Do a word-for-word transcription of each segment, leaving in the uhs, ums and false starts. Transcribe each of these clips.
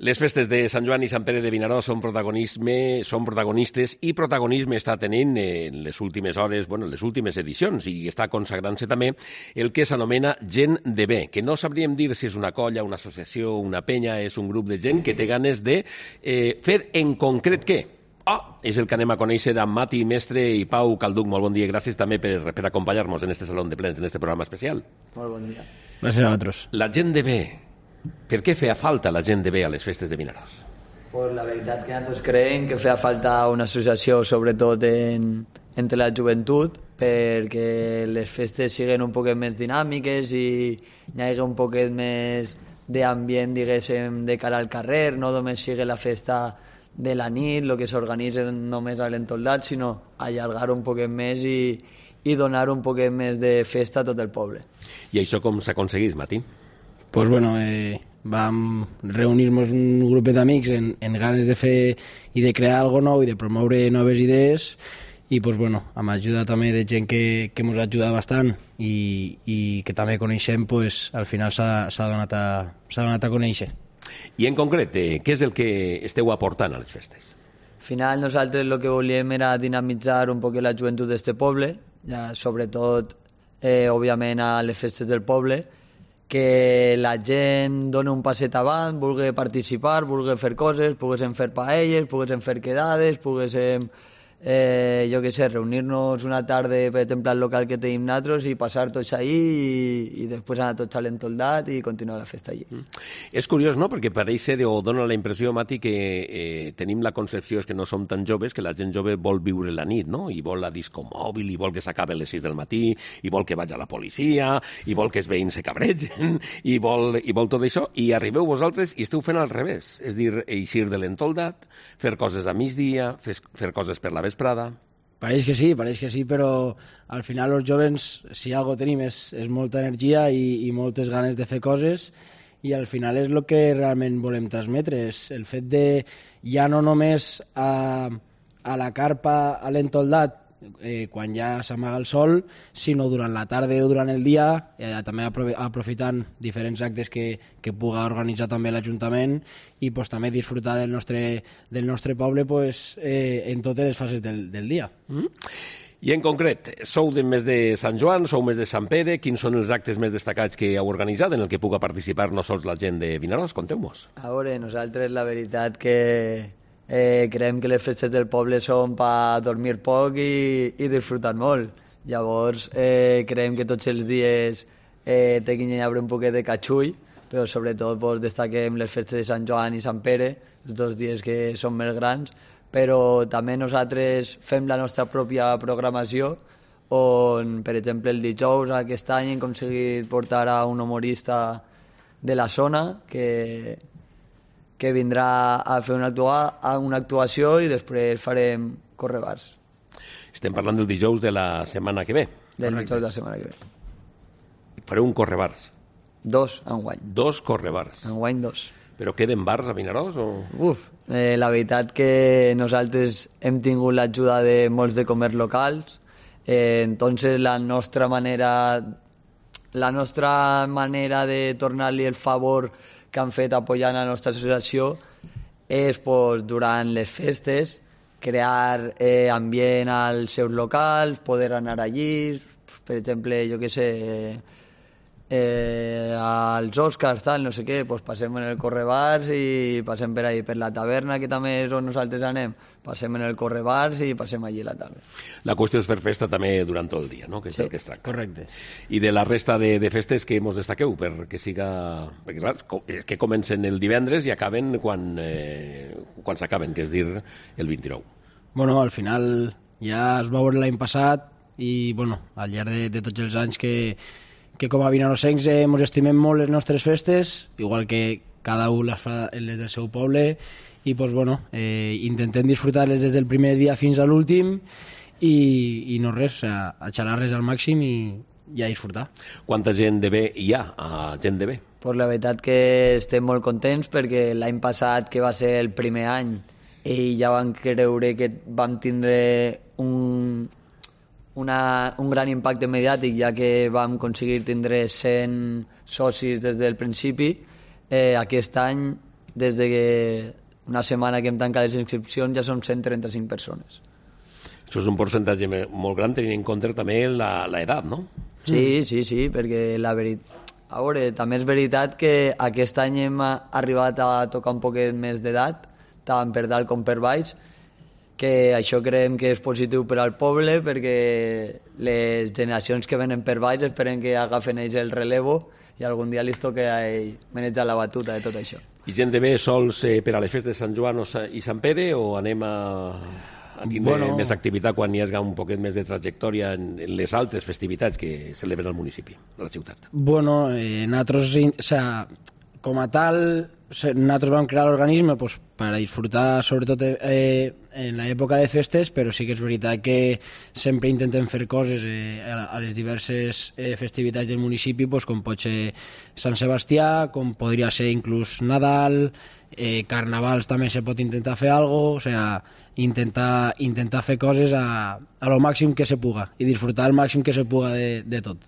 Les festes de Sant Joan i Sant Pere de Vinaròs són protagonisme, són protagonistes i protagonisme està tenint en les últimes hores, bueno, les últimes edicions, i està consagrant-se també el que s'anomena gent de bé, que no sabríem dir si és una colla, una associació, una penya, és un grup de gent que té ganes de eh, fer en concret què? Oh, és el que anem a conèixer d'en Mati Mestre i Pau Calduc. Molt bon dia, gràcies també per, per acompanyar-nos en este Saló de Plens, en este programa especial. Molt bon dia. Gràcies a vosaltres. La gent de bé. Per què feia falta la gent de bé a les festes de Vinaròs? Pues la veritat que nosaltres creiem que feia falta una associació, sobretot en, entre la joventut, perquè les festes siguin un poquet més dinàmiques i hi hagi un poquet més d'ambient, diguéssim, de cara al carrer, no només sigui la festa de la nit, el que s'organitza només a l'entoldat, sinó allargar un poquet més i, i donar un poquet més de festa a tot el poble. I això com s'aconseguís, Mati? Pues bueno, eh, vam reunir-nos un grupet d'amics en, en ganes de fer i de crear algo nou i de promoure noves idees i pues bueno, amb ajuda també de gent que, que ens ajuda bastant i, i que també coneixem, pues, al final s'ha donat, donat a conèixer. I en concret, eh, què és el que esteu aportant a les festes? Al final nosaltres el que volíem era dinamitzar un poc la joventut d'este poble, ja, sobretot, eh, òbviament, a les festes del poble, que la gent doni un passet avant, vulgui participar, vulgui fer coses, poguéssim fer paelles, poguéssim fer quedades, poguéssim, eh, jo què sé, reunir-nos una tarda, per exemple, al local que tenim nosaltres i passar tots allí i, i després anar tots a l'entoldat i continuar la festa allí. Mm. És curiós, no?, perquè pareix ser o dona la impressió, Mati, que eh, tenim la concepció és que no som tan joves, que la gent jove vol viure la nit, no?, i vol la disco mòbil, i vol que s'acabi a les sis del matí, i vol que vagi a la policia, i vol que els veïns se cabregen, i vol, i vol tot això, i arribeu vosaltres i esteu fent al revés, és dir, eixir de l'entoldat, fer coses a migdia, fer, fer coses per la vesprada. Pareix que sí, pareix que sí, però al final els jovens, si algo tenim és, és molta energia i, i moltes ganes de fer coses i al final és el que realment volem transmetre, és el fet de ja no només a, a la carpa, a l'entoldat, eh, quan ja s'amaga el sol, sinó durant la tarda o durant el dia, eh, també aprofitant diferents actes que, que puga organitzar també l'Ajuntament i pues, també disfrutar del nostre, del nostre poble pues, eh, en totes les fases del, del dia. Mm. I en concret, sou de més de Sant Joan, sou més de Sant Pere, quins són els actes més destacats que heu organitzat en el que puga participar no sols la gent de Vinaròs? Conteu-nos. A veure, nosaltres la veritat que eh, creiem que les festes del poble són per dormir poc i, i disfrutar molt. Llavors, eh, creiem que tots els dies eh, té que haver un poquet de catxull, però sobretot pues, destaquem les festes de Sant Joan i Sant Pere, els dos dies que són més grans, però també nosaltres fem la nostra pròpia programació, on, per exemple, el dijous aquest any hem aconseguit portar a un humorista de la zona que, que vindrà a fer una, actua, una actuació i després farem correbars. Estem parlant del dijous de la setmana que ve. Del dijous de la setmana que ve. Fareu un correbars. Dos, enguany. Dos correbars. Enguany dos. Però queden bars a Vinaròs? O... Uf, eh, la veritat que nosaltres hem tingut l'ajuda de molts de comerç locals, eh, entonces la nostra manera la nostra manera de tornar-li el favor que han fet apoyant la nostra associació és pues, durant les festes crear eh, ambient als seus locals, poder anar allí, per exemple, jo què sé, eh, eh, als Oscars, tal, no sé què, pues passem en el correbars i passem per ahí, per la taverna, que també és on nosaltres anem, passem en el correbars i passem allí a la tarda. La qüestió és fer festa també durant tot el dia, no?, que és sí, el que es tracta. Correcte. I de la resta de, de festes que mos destaqueu, perquè siga... Perquè, clar, és que comencen el divendres i acaben quan, eh, quan s'acaben, que és dir, el vint-i-nou. Bueno, al final ja es va veure l'any passat i, bueno, al llarg de, de tots els anys que que com a vinarossencs eh, ens estimem molt les nostres festes, igual que cada un les fa les del seu poble, i pues, bueno, eh, intentem disfrutar-les des del primer dia fins a l'últim i, i no res, o sea, a xalar-les al màxim i, i a disfrutar. Quanta gent de bé hi ha a gent de bé? Pues la veritat que estem molt contents perquè l'any passat, que va ser el primer any, i ja vam creure que vam tindre un... Una, un gran impacte mediàtic, ja que vam aconseguir tindre cent socis des del principi. Eh, aquest any des de que una setmana que hem tancat les inscripcions ja som cent trenta-cinc persones. Això és un percentatge molt gran tenint en compte també l'edat, no? Sí, sí, sí, perquè la veritat... A veure, també és veritat que aquest any hem arribat a tocar un poquet més d'edat, tant per dalt com per baix, que això creiem que és positiu per al poble, perquè les generacions que venen per baix esperen que agafen ells el relevo i algun dia li toca a ell manejar la batuta de tot això. I gent de bé sols eh, per a les festes de Sant Joan i Sant Pere, o anem a... a tindre bueno, més activitat quan hi hagi un poquet més de trajectòria en, en les altres festivitats que celebren al municipi, a la ciutat? Bueno, eh, nosaltres, o sea, com a tal, nosaltres vam crear l'organisme pues, per a disfrutar sobretot eh, en l'època de festes, però sí que és veritat que sempre intentem fer coses eh, a les diverses eh, festivitats del municipi, pues, com pot ser Sant Sebastià, com podria ser inclús Nadal, eh, Carnavals també se pot intentar fer alguna cosa, o sea, intentar, intentar fer coses a, a lo màxim que se puga i disfrutar el màxim que se puga de, de tot.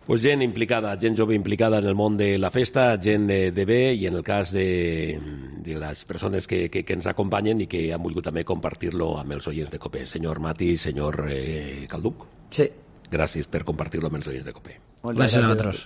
Pues gent implicada, gent jove implicada en el món de la festa, gent de, de bé, i en el cas de, de les persones que, que, que ens acompanyen i que han volgut també compartir-lo amb els oients de COPE. Senyor Mati, senyor eh, Calduc. Sí. Gràcies per compartir-lo amb els oients de COPE. Gràcies a vosaltres.